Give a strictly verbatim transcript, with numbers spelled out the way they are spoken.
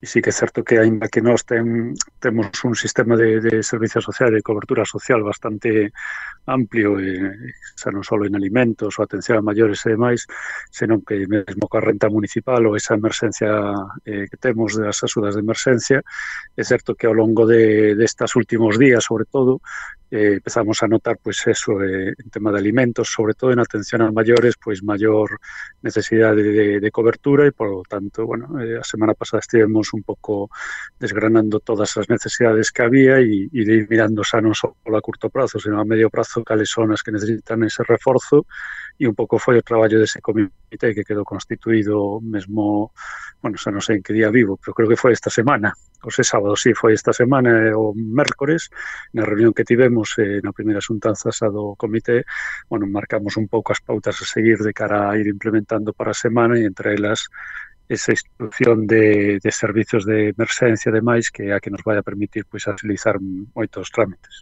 E sí que é certo que, aínda que nós ten, temos un sistema de, de servicio social e de cobertura social bastante amplio, e xa non só en alimentos ou atención a maiores e demais, senón que mesmo coa renta municipal ou esa emerxencia eh, que temos das axudas de emerxencia, é certo que ao longo de, destas últimos días, sobre todo, eh, empezamos a notar, pois, eso, eh, en tema de alimentos, sobre todo en atención a maiores, pois, maior necesidade de, de cobertura e, por lo tanto, bueno, eh, a semana pasada estivemos un pouco desgranando todas as necesidades que había e, e de ir mirando xa non só a curto prazo, senón a medio prazo cales son as que necesitan ese reforzo, e un pouco foi o traballo dese comité que quedou constituído mesmo, bueno, xa non sei en que día vivo, pero creo que foi esta semana, o sea, sábado, sí, foi esta semana, o mércores, na reunión que tivemos eh, na primeira xuntanza xa do comité, bueno, marcamos un pouco as pautas a seguir de cara a ir implementando para a semana, e entre elas esa instrucción de, de servicios de emerxencia e demais, que é a que nos vai a permitir, pois, agilizar moitos trámites.